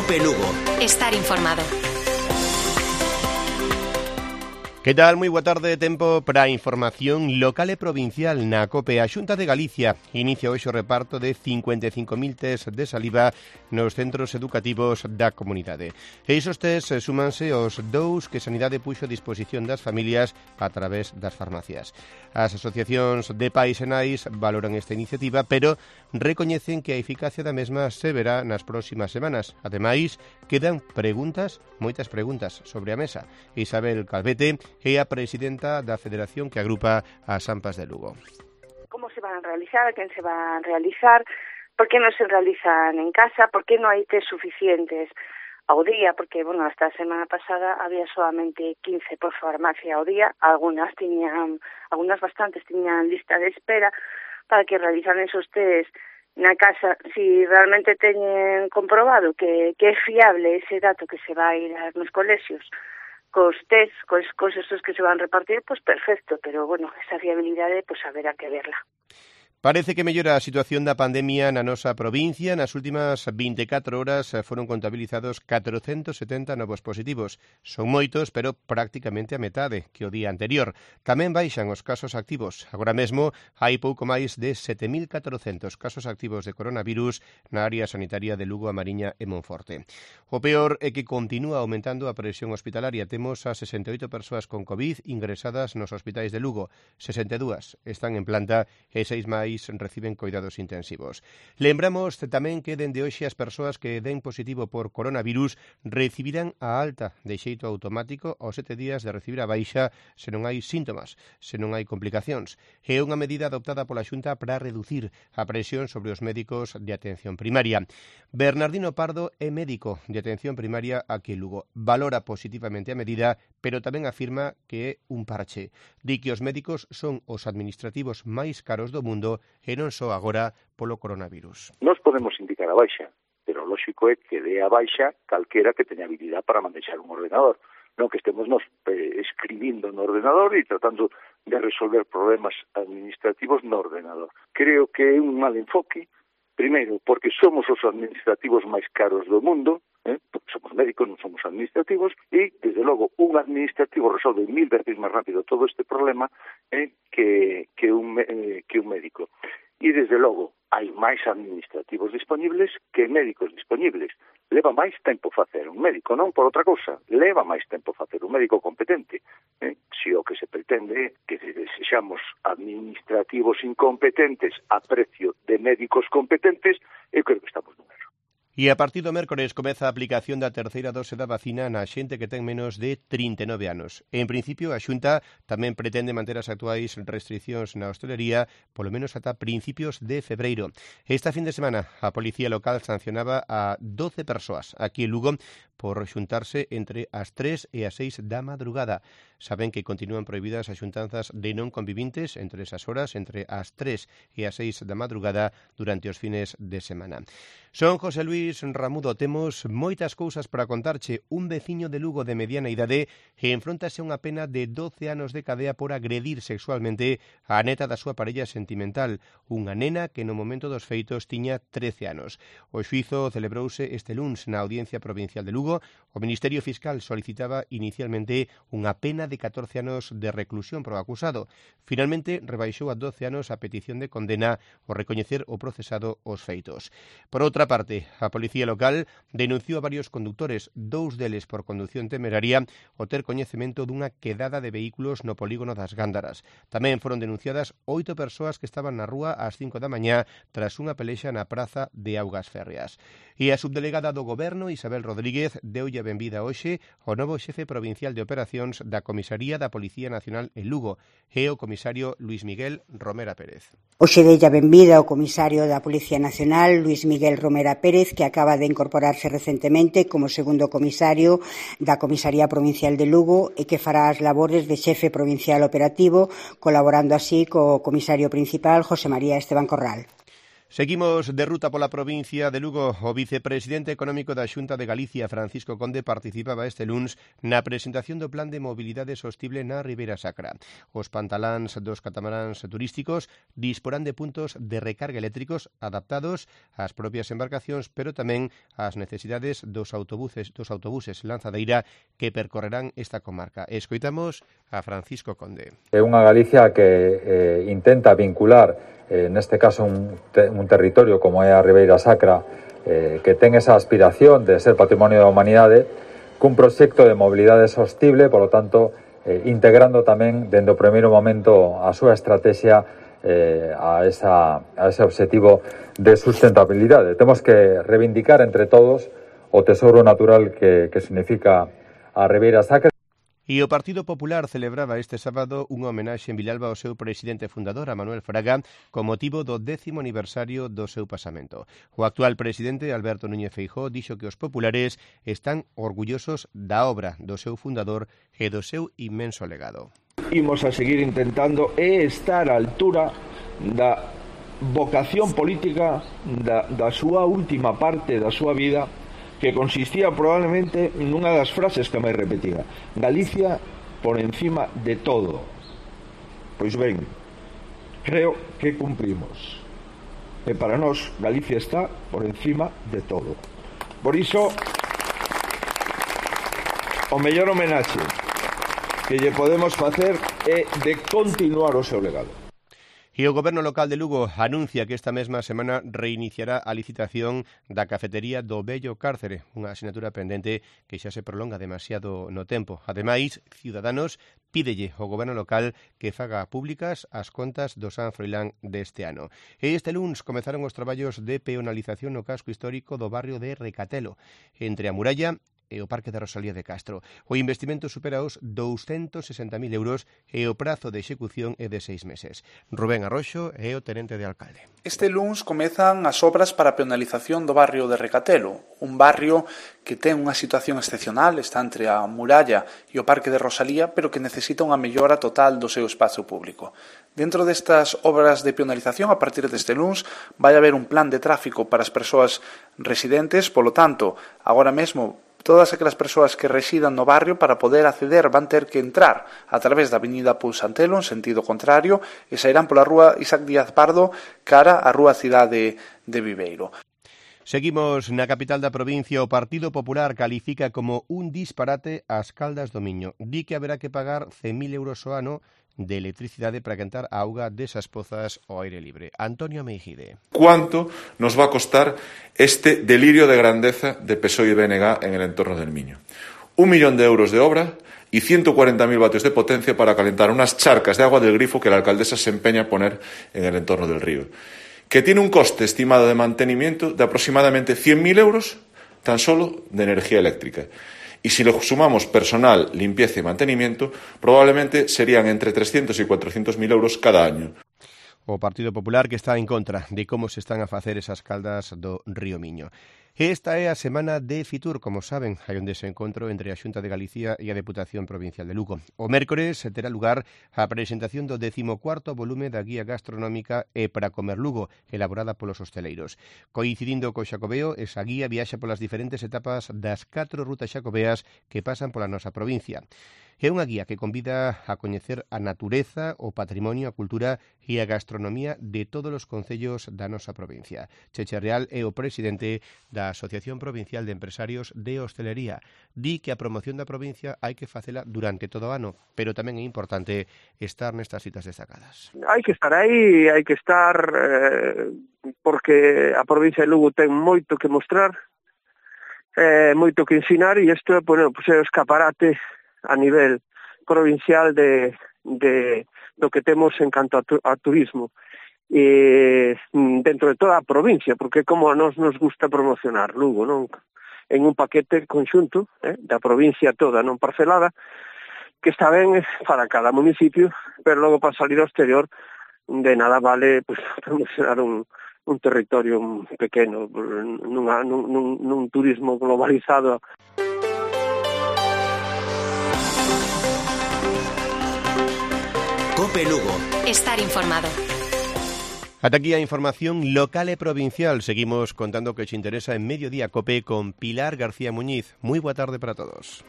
COPE Lugo. Estar informado. Que tal? Moi boa tarde, tempo para a información local e provincial na COPE. A Xunta de Galicia inicia hoxe o reparto de 55.000 test de saliva nos centros educativos da comunidade. E isos test súmanse aos 2 que Sanidade puxo a disposición das familias a través das farmacias. As asociacións de pais e nais valoran esta iniciativa, pero recoñecen que a eficacia da mesma se verá nas próximas semanas. Ademais, quedan preguntas, moitas preguntas, sobre a mesa. Isabel Calvete é a presidenta da federación que agrupa as AMPAs de Lugo. Como se van a realizar? A quen se van a realizar? Por que non se realizan en casa? Por que non hai test suficientes ao día? Porque, hasta a semana pasada había solamente 15 por farmacia ao día. Algunas bastantes tiñan lista de espera para que realizan esos test na casa. Si realmente teñen comprobado que é fiable ese dato que se vai dar nos colexios, cos test, cos esos que se van a repartir, pois perfecto, pero, esa fiabilidade, haberá que verla. Parece que mellora a situación da pandemia na nosa provincia. Nas últimas 24 horas foron contabilizados 470 novos positivos. Son moitos, pero prácticamente a metade que o día anterior. Tamén baixan os casos activos. Agora mesmo hai pouco máis de 7.400 casos activos de coronavirus na área sanitaria de Lugo, A Mariña e Monforte. O peor é que continúa aumentando a presión hospitalaria. Temos a 68 persoas con COVID ingresadas nos hospitais de Lugo. 62 están en planta e 6 máis reciben coidados intensivos. Lembramos tamén que dende hoxe as persoas que den positivo por coronavirus recibirán a alta de xeito automático aos 7 días de recibir a baixa se non hai síntomas, se non hai complicacións. É unha medida adoptada pola Xunta para reducir a presión sobre os médicos de atención primaria. Bernardino Pardo é médico de atención primaria aquí en Lugo. Valora positivamente a medida, pero tamén afirma que é un parche. Di que os médicos son os administrativos máis caros do mundo e non só agora polo coronavirus. Nos podemos indicar a baixa, pero o lógico é que dé a baixa calquera que teña habilidade para manexar un ordenador. Non que estemos nos escribindo no ordenador e tratando de resolver problemas administrativos no ordenador. Creo que é un mal enfoque, primeiro, porque somos os administrativos máis caros do mundo, porque somos médicos, non somos administrativos, e, desde logo, un administrativo resolve 1000 veces máis rápido todo este problema que un médico. E, desde logo, hai máis administrativos disponibles que médicos disponibles. Leva máis tempo facer un médico, non por outra cousa. Leva máis tempo facer un médico competente. Se o que se pretende é que desexamos administrativos incompetentes a precio de médicos competentes, eu creo que estamos nun erro. E a partir do mércores comeza a aplicación da terceira dose da vacina na xente que ten menos de 39 anos. En principio, a Xunta tamén pretende manter as actuais restriccións na hostelería polo menos ata principios de febreiro. Esta fin de semana, a Policía Local sancionaba a 12 persoas aquí en Lugo por xuntarse entre as 3 e as 6 da madrugada. Saben que continúan prohibidas as xuntanzas de non convivintes entre esas horas, entre as 3 e as 6 da madrugada durante os fines de semana. Son José Luis Ramudo, temos moitas cousas para contarche. Un veciño de Lugo de mediana idade enfrontase a unha pena de 12 anos de cadea por agredir sexualmente a neta da súa parella sentimental, unha nena que no momento dos feitos tiña 13 anos. O xuízo celebrouse este luns na Audiencia Provincial de Lugo. O Ministerio Fiscal solicitaba inicialmente unha pena de 14 anos de reclusión para o acusado. Finalmente, rebaixou a 12 anos a petición de condena ao recoñecer o procesado os feitos. Por outra parte, a Policía Local denunciou a varios conductores, 2 deles por condución temeraria, o ter coñecemento dunha quedada de vehículos no polígono das Gándaras. Tamén foron denunciadas 8 persoas que estaban na rúa ás 5 da mañá tras unha pelexa na praza de Augas Férreas. E a subdelegada do Goberno, Isabel Rodríguez, deulle a benvida hoxe ao novo xefe provincial de operacións da Comisaría da Policía Nacional en Lugo, e o comisario Luis Miguel Romera Pérez. Hoxe deulle a benvida ao comisario da Policía Nacional, Luis Miguel Romera Pérez, que acaba de incorporarse recentemente como segundo comisario da Comisaría Provincial de Lugo e que fará as labores de xefe provincial operativo, colaborando así co comisario principal, José María Esteban Corral. Seguimos de ruta pola provincia de Lugo. O vicepresidente económico da Xunta de Galicia, Francisco Conde, participaba este luns na presentación do Plan de Mobilidade Sostible na Ribeira Sacra. Os pantaláns dos catamaráns turísticos disporán de puntos de recarga eléctricos adaptados ás propias embarcacións, pero tamén ás necesidades dos autobuses lanzadeira que percorrerán esta comarca. Escoitamos a Francisco Conde. É unha Galicia que intenta vincular neste caso un territorio como é a Ribeira Sacra, que ten esa aspiración de ser patrimonio da humanidade, cun proxecto de mobilidade sostible, polo tanto, integrando tamén, dende o primeiro momento, a súa estrategia a ese objetivo de sustentabilidade. Temos que reivindicar entre todos o tesouro natural que significa a Ribeira Sacra. E o Partido Popular celebraba este sábado unha homenaxe en Vilalba ao seu presidente fundador, a Manuel Fraga, con motivo do 10º aniversario do seu pasamento. O actual presidente, Alberto Núñez Feijóo, dixo que os populares están orgullosos da obra do seu fundador e do seu inmenso legado. Imos a seguir intentando estar á altura da vocación política da súa última parte da súa vida, que consistía probablemente nunha das frases que máis repetía: Galicia por encima de todo. Pois ben, creo que cumprimos. E para nós Galicia está por encima de todo. Por iso, o mellor homenaxe que lle podemos facer é de continuar o seu legado. E o Goberno local de Lugo anuncia que esta mesma semana reiniciará a licitación da cafetería do Vello Cárcere, unha asignatura pendente que xa se prolonga demasiado no tempo. Ademais, Ciudadanos pídelle ao Goberno local que faga públicas as contas do San Froilán deste ano. E este luns comezaron os traballos de peonalización no casco histórico do barrio de Recatelo, entre a muralla e o Parque de Rosalía de Castro. O investimento supera os 260.000 euros e o prazo de execución é de 6 meses. Rubén Arroxo é o tenente de alcalde. Este luns comezan as obras para a peonalización do barrio de Recatelo, un barrio que ten unha situación excepcional, está entre a muralla e o Parque de Rosalía, pero que necesita unha mellora total do seu espazo público. Dentro destas obras de peonalización, a partir deste luns, vai haber un plan de tráfico para as persoas residentes, polo tanto, agora mesmo, todas aquelas persoas que residan no barrio, para poder acceder, van ter que entrar a través da avenida Pousantelo en sentido contrario e sairán pola rúa Isaac Díaz Pardo cara á rúa Cidade de Viveiro. Seguimos na capital da provincia. O Partido Popular califica como un disparate as Caldas do Miño. Di que haberá que pagar 100.000 euros ao ano de electricidade para quentar a auga desas pozas ao aire libre. Antonio Meijide. ¿Cuánto nos va a costar este delirio de grandeza de PSOE y BNG en el entorno del Miño? 1 millón de euros de obra y 140.000 vatios de potencia para calentar unas charcas de agua del grifo que la alcaldesa se empeña a poner en el entorno del río, que tiene un coste estimado de mantenimiento de aproximadamente 100.000 euros tan solo de energía eléctrica. Y si le sumamos personal, limpieza y mantenimiento, probablemente serían entre 300 y 400.000 euros cada año. O Partido Popular que está en contra de como se están a facer esas caldas do río Miño. Esta é a semana de Fitur, como saben, hai un desencontro entre a Xunta de Galicia e a Deputación Provincial de Lugo. O mércores terá lugar a presentación do 14º volume da Guía Gastronómica E para comer Lugo, elaborada polos hosteleiros. Coincidindo co Xacobeo, esa guía viaxa polas diferentes etapas das 4 rutas xacobeas que pasan pola nosa provincia. É unha guía que convida a coñecer a natureza, o patrimonio, a cultura e a gastronomía de todos os concellos da nosa provincia. Cheche Real é o presidente da Asociación Provincial de Empresarios de Hostelería. Di que a promoción da provincia hai que facela durante todo o ano, pero tamén é importante estar nestas citas destacadas. Hai que estar aí, hai que estar porque a provincia de Lugo ten moito que mostrar, moito que ensinar, e isto é o escaparate a nivel provincial de do que temos en canto a turismo dentro de toda a provincia, porque como a nós nos gusta promocionar Lugo, non? En un paquete conxunto da provincia toda, non parcelada, que está ben para cada municipio, pero logo para salir ao exterior de nada vale promocionar un territorio pequeno nun turismo globalizado. COPE Lugo. Estar informado. Ata aquí a información local e provincial. Seguimos contando que se interesa en Mediodía Cope con Pilar García Muñiz. Moi boa tarde para todos.